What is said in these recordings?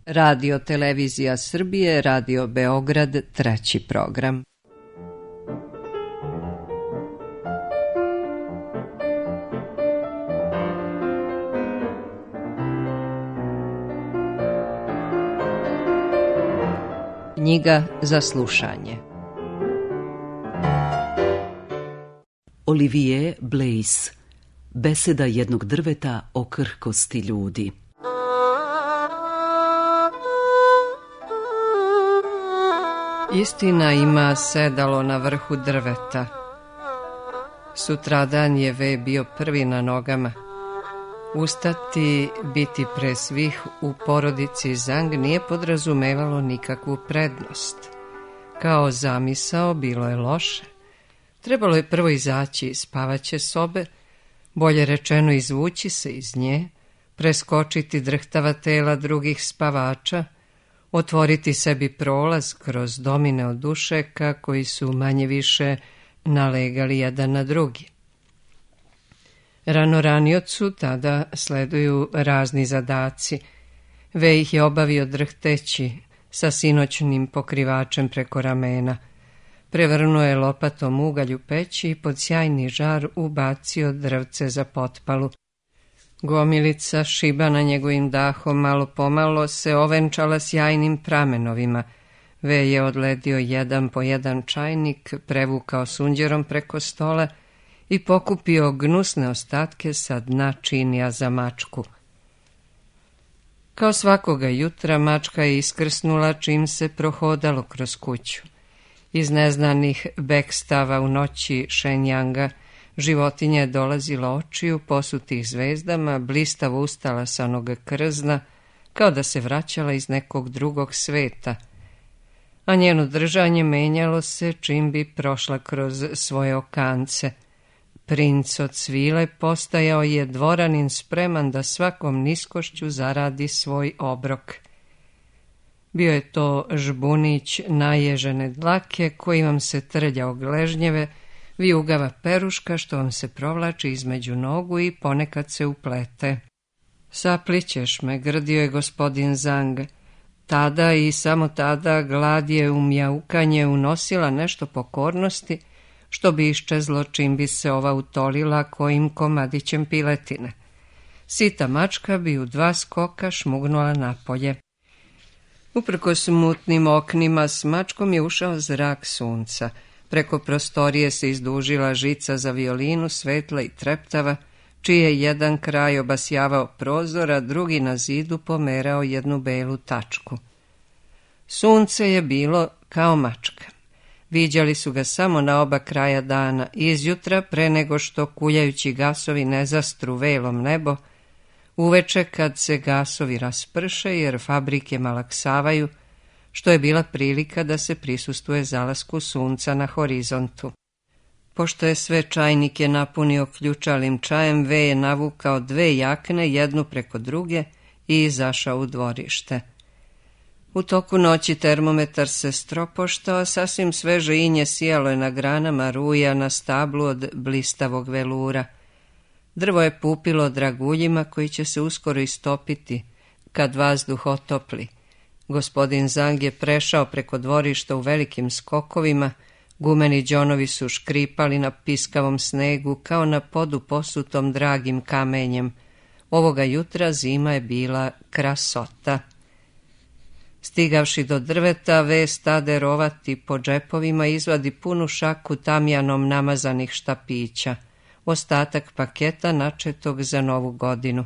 Radio Televizija Srbije, Radio Beograd, treći program. Knjiga za slušanje. Olivier Blaise. Beseda jednog drveta o krhkosti ljudi. Istina ima sedalo na vrhu drveta. Sutradan je V bio prvi na nogama. Ustati, biti pre svih u porodici Zang nije podrazumevalo nikakvu prednost. Kao zamisao bilo je loše. Trebalo je prvo izaći iz spavaće sobe, bolje rečeno izvući se iz nje, preskočiti drhtava tela drugih spavača, otvoriti sebi prolaz kroz domine od dušeka koji su manje više nalegali jedan na drugi. Ranoraniocu tada sleduju razni zadaci. V ih je obavio drhteći sa sinoćnim pokrivačem preko ramena. Prevrnuo je lopatom ugalj u peći i pod sjajni žar ubacio drvce za potpalu. Gomilica, šibana njegovim dahom, malo pomalo se ovenčala sjajnim pramenovima. V je odledio jedan po jedan čajnik, prevukao sunđerom preko stola i pokupio gnusne ostatke sa dna činija za mačku. Kao svakoga jutra mačka je iskrsnula čim se prohodalo kroz kuću. Iz neznanih bekstava u noći Šenjanga životinja je dolazila očiju, posutih zvezdama, blistavo ustala sa noga krzna, kao da se vraćala iz nekog drugog sveta, a njeno držanje menjalo se čim bi prošla kroz svoje okance. Princ od svile postajao je dvoranin spreman da svakom niskošću zaradi svoj obrok. Bio je to žbunić naježene dlake koji vam se trlja gležnjeve, vijugava peruška što vam se provlači između nogu i ponekad se uplete. Saplićeš me, grdio je gospodin Zang. Tada i samo tada glad je u mjaukanje unosila nešto pokornosti, što bi iščezlo čim bi se ova utolila kojim komadićem piletine. Sita mačka bi u 2 skoka šmugnula napolje. Uprkos mutnim oknima s mačkom je ušao zrak sunca. Preko prostorije se izdužila žica za violinu, svetla i treptava, čiji je jedan kraj obasjavao prozor, a drugi na zidu pomerao jednu belu tačku. Sunce je bilo kao mačka. Viđali su ga samo na oba kraja dana, izjutra pre nego što kuljajući gasovi ne zastru velom nebo, uveče kad se gasovi rasprše jer fabrike malaksavaju, što je bila prilika da se prisustvuje zalasku sunca na horizontu. Pošto je sve čajnike napunio ključalim čajem, V je navukao 2 jakne, jednu preko druge, i izašao u dvorište. U toku noći termometar se stropoštao, sasvim sveže inje sijalo je na granama ruja na stablu od blistavog velura. Drvo je pupilo draguljima koji će se uskoro istopiti kad vazduh otopli. Gospodin Zang je prešao preko dvorišta u velikim skokovima, gumeni đonovi su škripali na piskavom snegu kao na podu posutom dragim kamenjem. Ovoga jutra zima je bila krasota. Stigavši do drveta, V stade rovati po džepovima, izvadi punu šaku tamjanom namazanih štapića, ostatak paketa načetog za Novu godinu.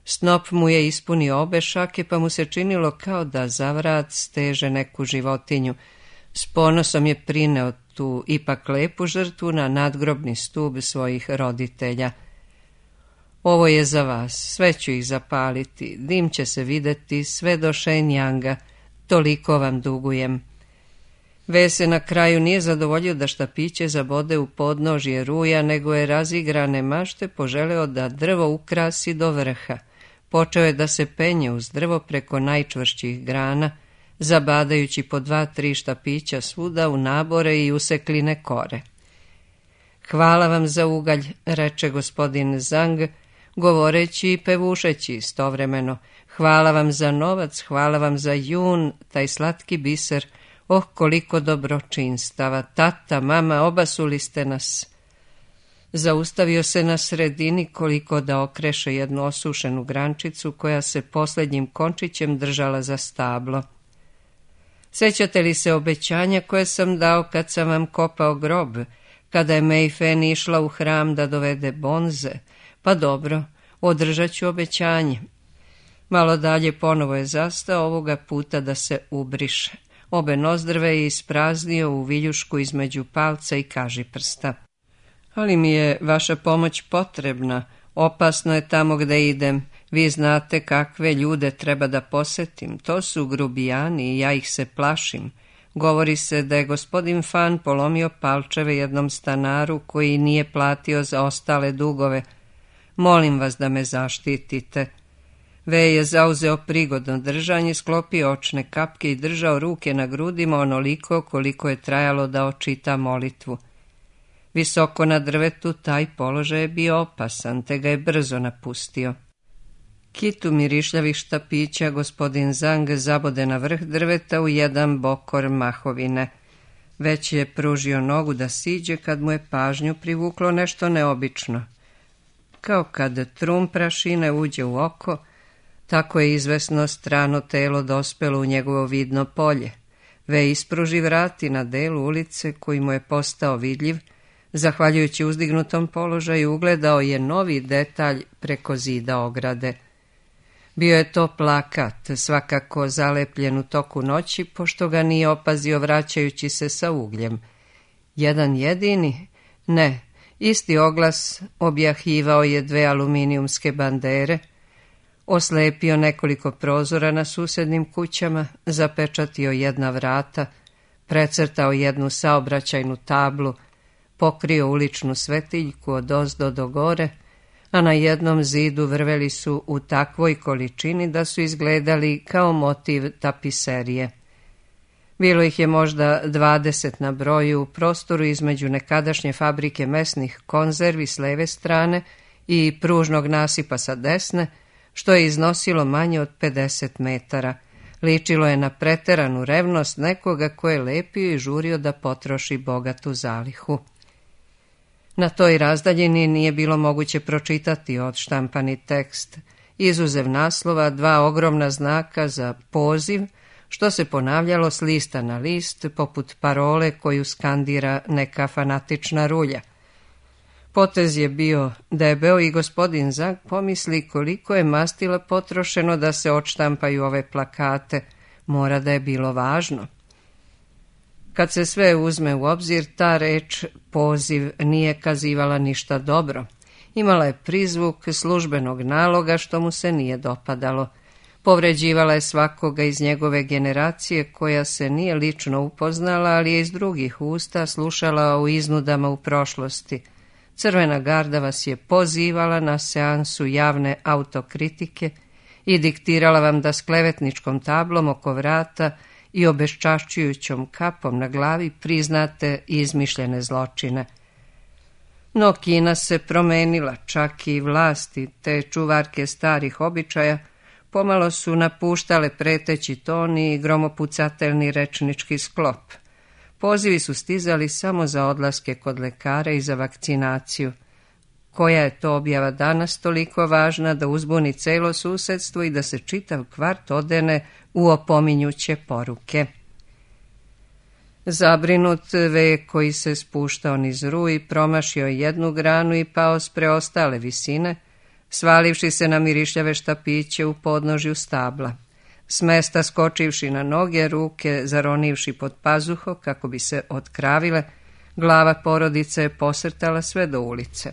Snop mu je ispunio obe šake, pa mu se činilo kao da za vrat steže neku životinju. S ponosom je prineo tu ipak lepu žrtvu na nadgrobni stub svojih roditelja. Ovo je za vas, sve ću ih zapaliti, dim će se videti sve do Šenjanga, toliko vam dugujem. V se na kraju nije zadovoljio da štapiće zabode u podnožje ruja, nego je razigrane mašte poželeo da drvo ukrasi do vrha. Počeo je da se penje uz drvo preko najčvršćih grana, zabadajući po 2-3 štapića svuda u nabore i usekline kore. Hvala vam za ugalj, reče gospodin Zang, govoreći i pevušeći istovremeno. Hvala vam za novac, hvala vam za jun, taj slatki biser. Oh, koliko dobročinstava, tata, mama, obasuli ste nas. Zaustavio se na sredini koliko da okreše jednu osušenu grančicu koja se posljednjim končićem držala za stablo. Sjećate li se obećanja koje sam dao kad sam vam kopao grob, kada je Meifen išla u hram da dovede bonze? Pa dobro, održat ću obećanje. Malo dalje ponovo je zastao, ovoga puta da se ubriše. Obe nozdrve je ispraznio u viljušku između palca i kažiprsta. Ali mi je vaša pomoć potrebna, opasno je tamo gde idem. Vi znate kakve ljude treba da posetim, to su grubijani i ja ih se plašim. Govori se da je gospodin Fan polomio palčeve jednom stanaru koji nije platio za ostale dugove. Molim vas da me zaštitite. Ve je zauzeo prigodno držanje, sklopio očne kapke i držao ruke na grudima onoliko koliko je trajalo da očita molitvu. Visoko na drvetu taj položaj je bio opasan, te ga je brzo napustio. Kitu mirišljavih štapića gospodin Zang zabode na vrh drveta u jedan bokor mahovine. Već je pružio nogu da siđe kad mu je pažnju privuklo nešto neobično. Kao kad trum prašine uđe u oko, tako je izvesno strano telo dospelo u njegovo vidno polje. Ve ispruži vrati na delu ulice koji mu je postao vidljiv, zahvaljujući uzdignutom položaju ugledao je novi detalj preko zida ograde. Bio je to plakat, svakako zalepljen u toku noći, pošto ga nije opazio vraćajući se sa ugljem. Jedan jedini? Ne, isti oglas objahivao je 2 aluminijumske bandere, oslepio nekoliko prozora na susjednim kućama, zapečatio jedna vrata, precrtao jednu saobraćajnu tablu, pokrio uličnu svetiljku od ozdo do gore, a na jednom zidu vrveli su u takvoj količini da su izgledali kao motiv tapiserije. Bilo ih je možda 20 na broju u prostoru između nekadašnje fabrike mesnih konzervi s leve strane i pružnog nasipa sa desne, što je iznosilo manje od 50 metara. Ličilo je na preteranu revnost nekoga ko je lepio i žurio da potroši bogatu zalihu. Na toj razdaljini nije bilo moguće pročitati odštampani tekst, izuzev naslova 2 ogromna znaka za poziv, što se ponavljalo s lista na list, poput parole koju skandira neka fanatična rulja. Potez je bio debeo i gospodin Zang pomisli koliko je mastila potrošeno da se odštampaju ove plakate, mora da je bilo važno. Kad se sve uzme u obzir, ta reč poziv nije kazivala ništa dobro. Imala je prizvuk službenog naloga što mu se nije dopadalo. Povređivala je svakoga iz njegove generacije koja se nije lično upoznala, ali je iz drugih usta slušala o iznudama u prošlosti. Crvena garda vas je pozivala na seansu javne autokritike i diktirala vam da s klevetničkom tablom oko vrata i obeščašćujućom kapom na glavi priznate izmišljene zločine. No Kina se promenila, čak i vlasti, te čuvarke starih običaja, pomalo su napuštale preteći ton i gromopucatelni rečnički sklop. Pozivi su stizali samo za odlaske kod lekara i za vakcinaciju. Koja je to objava danas toliko važna da uzbuni celo susedstvo i da se čitav kvart odene u opominjuće poruke? Zabrinut Ve, koji se spuštao niz ruj, promašio jednu granu i pao s preostale visine, svalivši se na mirišljave štapiće u podnožju stabla. S mesta skočivši na noge, ruke zaronivši pod pazuho kako bi se otkravile, glava porodice je posrtala sve do ulice.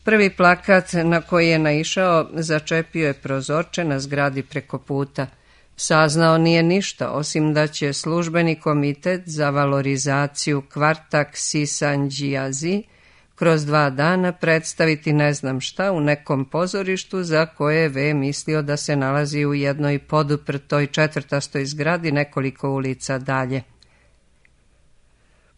Prvi plakat na koji je naišao začepio je prozorče na zgradi preko puta. Saznao nije ništa, osim da će službeni komitet za valorizaciju kvarta Ksisanđijazi kroz 2 dana predstaviti ne znam šta u nekom pozorištu za koje je Ve mislio da se nalazi u jednoj poduprtoj 4. zgradi nekoliko ulica dalje.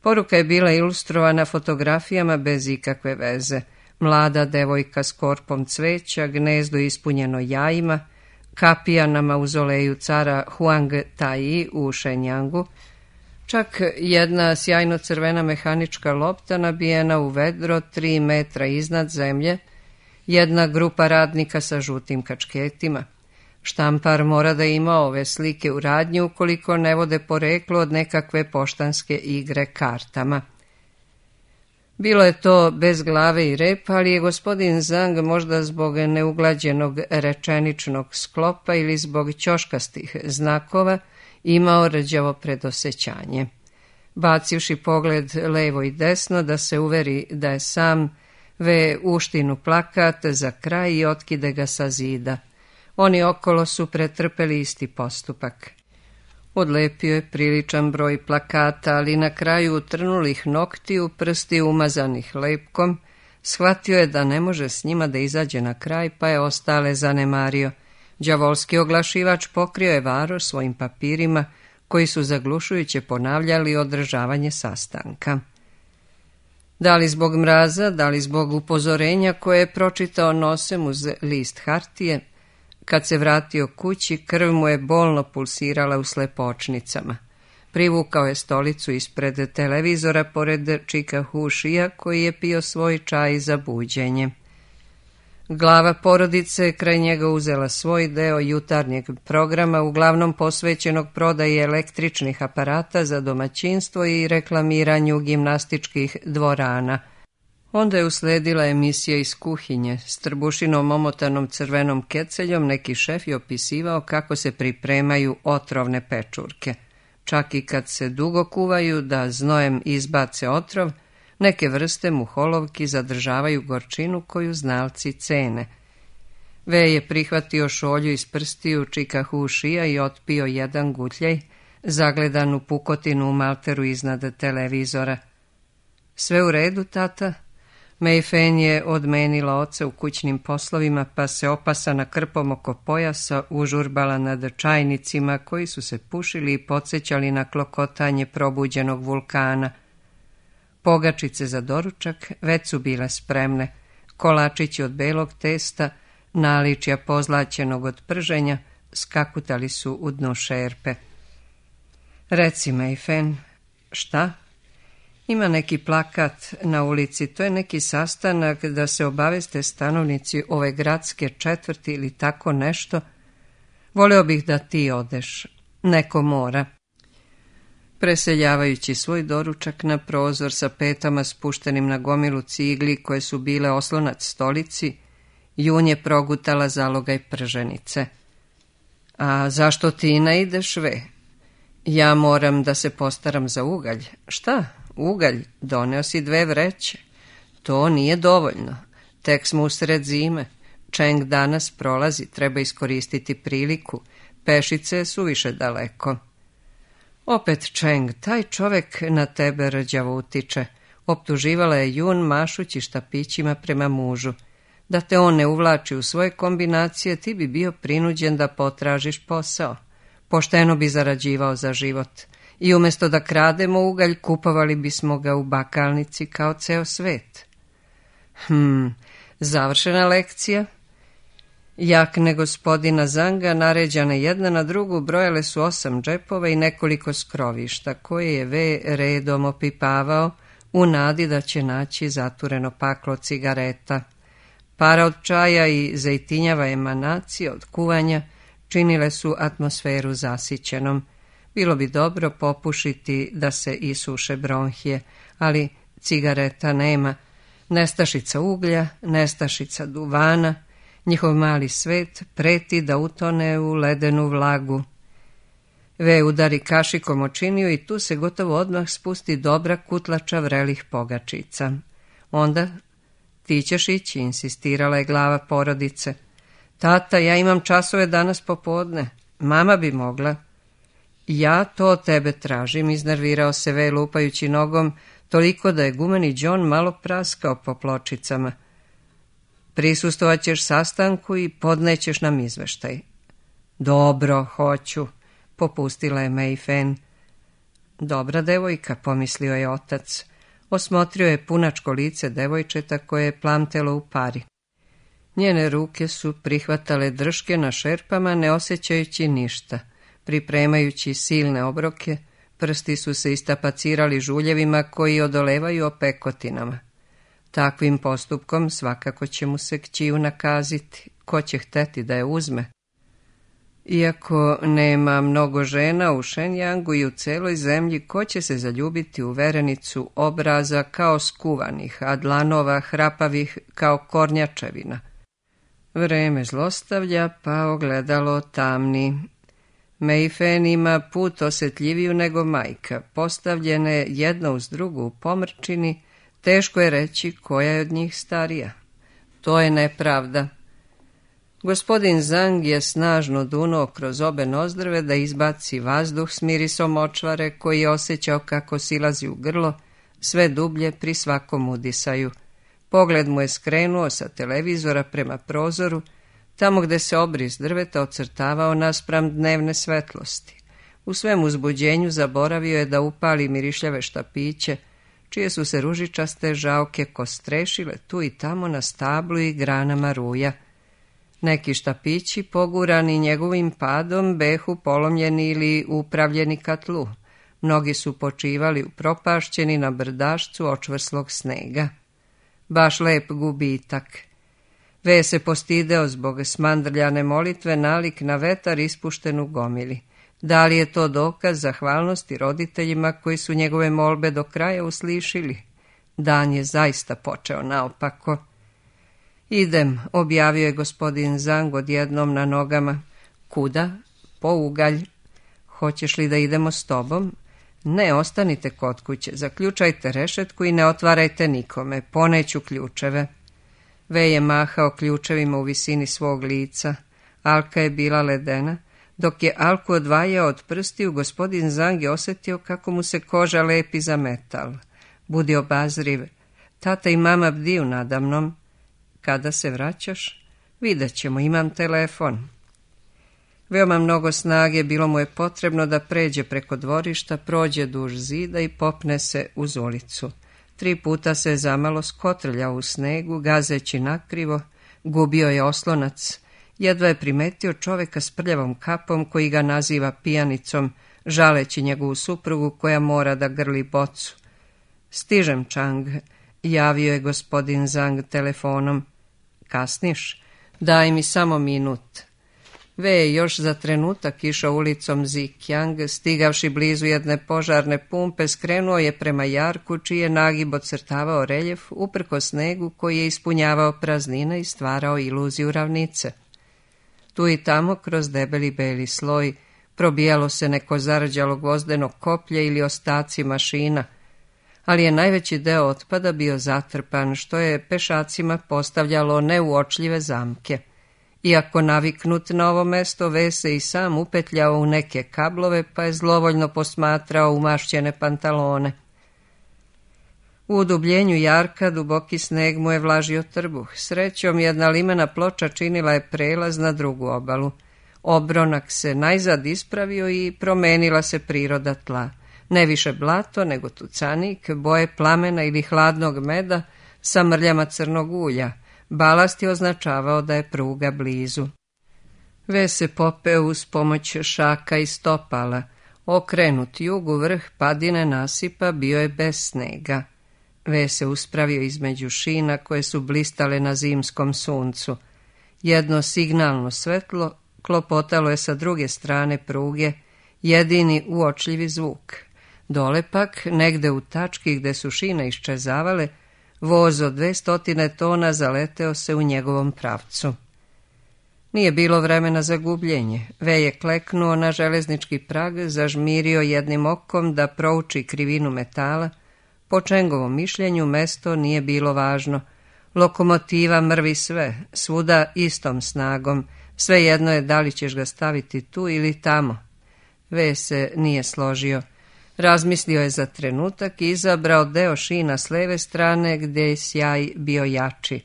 Poruka je bila ilustrovana fotografijama bez ikakve veze. Mlada devojka s korpom cveća, gnezdo ispunjeno jajima, kapija na mauzoleju cara Huang Taji u Šenjangu, čak jedna sjajno crvena mehanička lopta nabijena u vedro 3 metra iznad zemlje, jedna grupa radnika sa žutim kačketima. Štampar mora da ima ove slike u radnji ukoliko ne vode poreklo od nekakve poštanske igre kartama. Bilo je to bez glave i repa, ali je gospodin Zhang možda zbog neuglađenog rečeničnog sklopa ili zbog ćoškastih znakova imao rđavo predosećanje. Bacivši pogled levo i desno da se uveri da je sam, ve uštinu plakat za kraj i otkide ga sa zida. Oni okolo su pretrpeli isti postupak. Odlepio je priličan broj plakata, ali na kraju utrnulih noktiju, prsti umazanih lepkom, shvatio je da ne može s njima da izađe na kraj, pa je ostale zanemario. Đavolski oglašivač pokrio je varoš svojim papirima, koji su zaglušujuće ponavljali održavanje sastanka. Da li zbog mraza, da li zbog upozorenja koje je pročitao nosem uz list hartije, kad se vratio kući, krv mu je bolno pulsirala u slepočnicama. Privukao je stolicu ispred televizora pored Čika Hušija, koji je pio svoj čaj za buđenje. Glava porodice kraj njega uzela svoj deo jutarnjeg programa, uglavnom posvećenog prodaji električnih aparata za domaćinstvo i reklamiranju gimnastičkih dvorana. Onda je usledila emisija iz kuhinje. S trbušinom omotanom crvenom keceljom neki šef je opisivao kako se pripremaju otrovne pečurke. Čak i kad se dugo kuvaju da znojem izbace otrov, neke vrste muholovki zadržavaju gorčinu koju znalci cene. Ve je prihvatio šolju iz prstiju Čika Hušija i otpio jedan gutljaj, zagledan u pukotinu u malteru iznad televizora. Sve u redu, tata? Mei Fen je odmenila oca u kućnim poslovima, pa se opasana krpom oko pojasa užurbala nad čajnicima koji su se pušili i podsjećali na klokotanje probuđenog vulkana. Pogačice za doručak već su bile spremne, kolačići od belog testa, naličja pozlaćenog od prženja, skakutali su u dno šerpe. Reci, Mei Fen, šta? Ima neki plakat na ulici, to je neki sastanak da se obaveste stanovnici ove gradske četvrti ili tako nešto. Voleo bih da ti odeš, neko mora. Preseljavajući svoj doručak na prozor sa petama spuštenim na gomilu cigli koje su bile oslonac stolici, Jun je progutala zalogaj prženice. A zašto ti ne ideš, ve? Ja moram da se postaram za ugalj. Šta? Ugalj? Doneo si 2 vreće. To nije dovoljno. Tek smo usred zime. Čeng danas prolazi, treba iskoristiti priliku. Pešice je suviše daleko. Opet Čeng, taj čovek na tebe rđavo utiče. Optuživala je Jun mašući štapićima prema mužu. Da te on ne uvlači u svoje kombinacije, ti bi bio prinuđen da potražiš posao. Pošteno bi zarađivao za život. I umjesto da krademo ugalj, kupovali bismo ga u bakalnici kao ceo svet. Završena lekcija. Jakne gospodina Zanga, naređane jedna na drugu, brojale su 8 džepova i nekoliko skrovišta, koje je Ve redom opipavao u nadi da će naći zatureno paklo cigareta. Para od čaja i zejtinjava emanacije od kuvanja činile su atmosferu zasićenom. Bilo bi dobro popušiti da se isuše bronhije, ali cigareta nema, nestašica uglja, nestašica duvana, njihov mali svet preti da utone u ledenu vlagu. Ve udari kašikom o činiju i tu se gotovo odmah spusti dobra kutlača vrelih pogačica. Onda, ti ćeš ići, insistirala je glava porodice. Tata, ja imam časove danas popodne, mama bi mogla. Ja to od tebe tražim, iznervirao se Ve lupajući nogom, toliko da je gumeni John malo praskao po pločicama. Prisustvovat ćeš sastanku i podnećeš nam izveštaj. Dobro, hoću, popustila je Mei Fen. Dobra devojka, pomislio je otac. Osmotrio je punačko lice devojčeta koje je plamtelo u pari. Njene ruke su prihvatale drške na šerpama, ne osjećajući ništa. Pripremajući silne obroke, prsti su se istapacirali žuljevima koji odolevaju opekotinama. Takvim postupkom svakako će mu se kćiju nakaziti. Ko će hteti da je uzme? Iako nema mnogo žena u Šenjangu i u celoj zemlji, ko će se zaljubiti u verenicu obraza kao skuvanih, a dlanova hrapavih kao kornjačevina? Vreme zlostavlja, pa ogledalo tamni. Meifen ima put osjetljiviju nego majka, postavljene jedna uz drugu u pomrčini, teško je reći koja je od njih starija. To je nepravda. Gospodin Zang je snažno dunuo kroz obe nozdrve da izbaci vazduh s mirisom močvare koji je osjećao kako silazi u grlo, sve dublje pri svakom udisaju. Pogled mu je skrenuo sa televizora prema prozoru, tamo gde se obris drveta ocrtavao naspram dnevne svetlosti. U svem uzbuđenju zaboravio je da upali mirišljave štapiće, čije su se ružičaste žaoke kostrešile tu i tamo na stablu i granama ruja. Neki štapići, pogurani njegovim padom, behu polomljeni ili upravljeni ka tlu. Mnogi su počivali upropašćeni na brdašcu očvrslog snega. Baš lep gubitak. Ve se postideo zbog smandrljane molitve nalik na vetar ispušten u gomili. Da li je to dokaz zahvalnosti roditeljima koji su njegove molbe do kraja uslišili? Dan je zaista počeo naopako. Idem, objavio je gospodin Zang odjednom na nogama. Kuda? Po ugalj. Hoćeš li da idemo s tobom? Ne, ostanite kod kuće, zaključajte rešetku i ne otvarajte nikome, poneću ključeve. Ve je mahao ključevima u visini svog lica. Alka je bila ledena. Dok je Alku odvajao od prstiju, gospodin Zang je osjetio kako mu se koža lepi za metal. Budi obazriv. Tata i mama bdiju nadamnom. Kada se vraćaš? Vidjet ćemo, imam telefon. Veoma mnogo snage bilo mu je potrebno da pređe preko dvorišta, prođe duž zida i popne se uz ulicu. 3 puta se zamalo skotrljao u snegu, gazeći nakrivo, gubio je oslonac. Jedva je primetio čoveka s prljavom kapom koji ga naziva pijanicom, žaleći njegovu suprugu koja mora da grli bocu. Stižem, Chang, javio je gospodin Zang telefonom. Kasniš? Daj mi samo minut. Ve je još za trenutak išao ulicom Zikjang, stigavši blizu jedne požarne pumpe, skrenuo je prema jarku, čiji je nagib ocrtavao reljef uprko snegu koji je ispunjavao praznine i stvarao iluziju ravnice. Tu i tamo, kroz debeli beli sloj, probijalo se neko zarđalo gvozdeno koplje ili ostaci mašina, ali je najveći deo otpada bio zatrpan, što je pešacima postavljalo neuočljive zamke. Iako naviknut na ovo mesto, Ve se i sam upetljao u neke kablove, pa je zlovoljno posmatrao umašćene pantalone. U udubljenju jarka duboki sneg mu je vlažio trbuh. Srećom, jedna limena ploča činila je prelaz na drugu obalu. Obronak se najzad ispravio i promenila se priroda tla. Ne više blato, nego tucanik, boje plamena ili hladnog meda sa mrljama crnog ulja. Balast je označavao da je pruga blizu. Ve se popeo uz pomoć šaka i stopala. Okrenut jugu, vrh padine nasipa bio je bez snega. Ve se uspravio između šina koje su blistale na zimskom suncu. Jedno signalno svetlo klopotalo je sa druge strane pruge, jedini uočljivi zvuk. Dole pak, negde u tački gde su šine iščezavale, voz od 200 tona zaleteo se u njegovom pravcu. Nije bilo vremena za gubljenje. Ve je kleknuo na železnički prag, zažmirio jednim okom da prouči krivinu metala. Po Čengovom mišljenju mesto nije bilo važno. Lokomotiva mrvi sve, svuda istom snagom. Svejedno je da li ćeš ga staviti tu ili tamo. Ve se nije složio. Razmislio je za trenutak i izabrao deo šina s leve strane gdje je sjaj bio jači.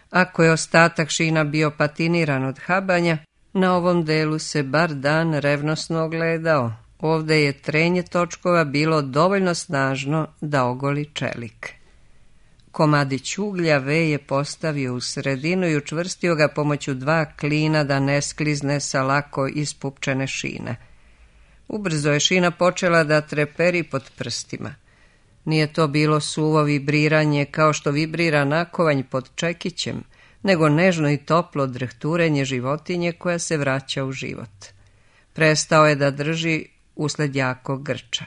Ako je ostatak šina bio patiniran od habanja, na ovom delu se bar dan revnosno ogledao. Ovdje je trenje točkova bilo dovoljno snažno da ogoli čelik. komadić uglja V je postavio u sredinu i učvrstio ga pomoću 2 klina da ne sklizne sa lako ispupčene šine. Ubrzo je šina počela da treperi pod prstima. Nije to bilo suvo vibriranje kao što vibrira nakovanj pod čekićem, nego nežno i toplo drhturenje životinje koja se vraća u život. Prestao je da drži usled jakog grča.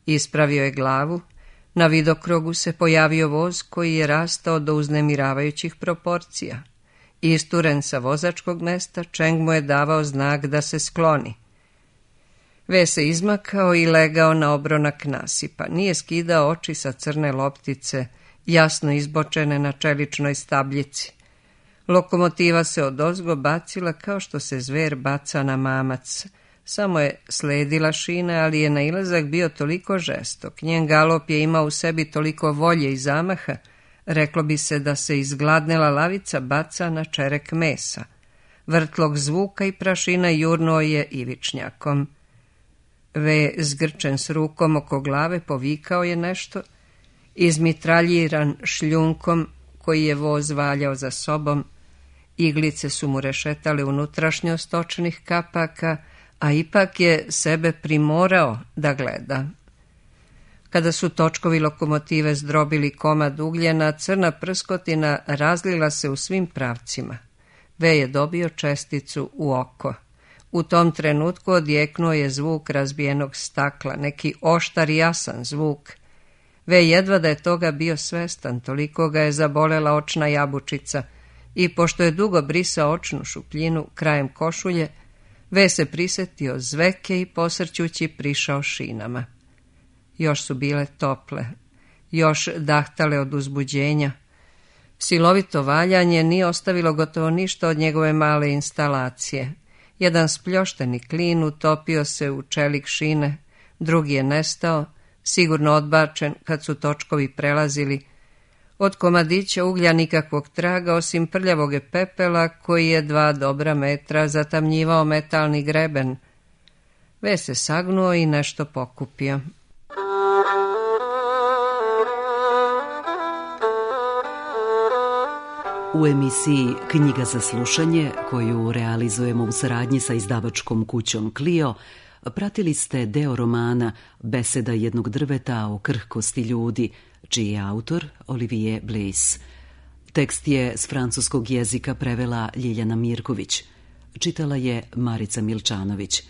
Ispravio je glavu, na vidokrugu se pojavio voz koji je rastao do uznemiravajućih proporcija. Isturen sa vozačkog mesta, Čeng mu je davao znak da se skloni. V se izmakao i legao na obronak nasipa. Nije skidao oči sa crne loptice, jasno izbočene na čeličnoj stabljici. Lokomotiva se odozgo bacila kao što se zver baca na mamac. Samo je sledila šine, ali je nailazak bio toliko žestok. Njen galop je imao u sebi toliko volje i zamaha, reklo bi se da se izgladnela lavica baca na čerek mesa. Vrtlog zvuka i prašina jurnuo je ivičnjakom. V, zgrčen s rukom oko glave, povikao je nešto, izmitraljiran šljunkom koji je voz valjao za sobom. Iglice su mu rešetale unutrašnjost očnih kapaka, a ipak je sebe primorao da gleda. Kada su točkovi lokomotive zdrobili komad ugljena, crna prskotina razlila se u svim pravcima. V je dobio česticu u oko. U tom trenutku odjeknuo je zvuk razbijenog stakla, neki oštar i jasan zvuk. V jedva da je toga bio svestan, toliko ga je zabolela očna jabučica i pošto je dugo brisao očnu šupljinu krajem košulje, V se prisetio zveke i posrćući prišao šinama. Još su bile tople, još dahtale od uzbuđenja. Silovito valjanje nije ostavilo gotovo ništa od njegove male instalacije. Jedan spljošteni klin utopio se u čelik šine, drugi je nestao, sigurno odbačen kad su točkovi prelazili. Od komadića uglja nikakvog traga, osim prljavog pepela koji je 2 dobra metra zatamnjivao metalni greben. V se sagnuo i nešto pokupio. U emisiji Knjiga za slušanje, koju realizujemo u saradnji sa izdavačkom kućom Clio, pratili ste deo romana Beseda jednog drveta o krhkosti ljudi, čiji je autor Olivier Bliss. Tekst je s francuskog jezika prevela Ljiljana Mirković. Čitala je Marica Milčanović.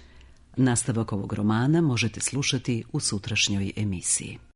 Nastavak ovog romana možete slušati u sutrašnjoj emisiji.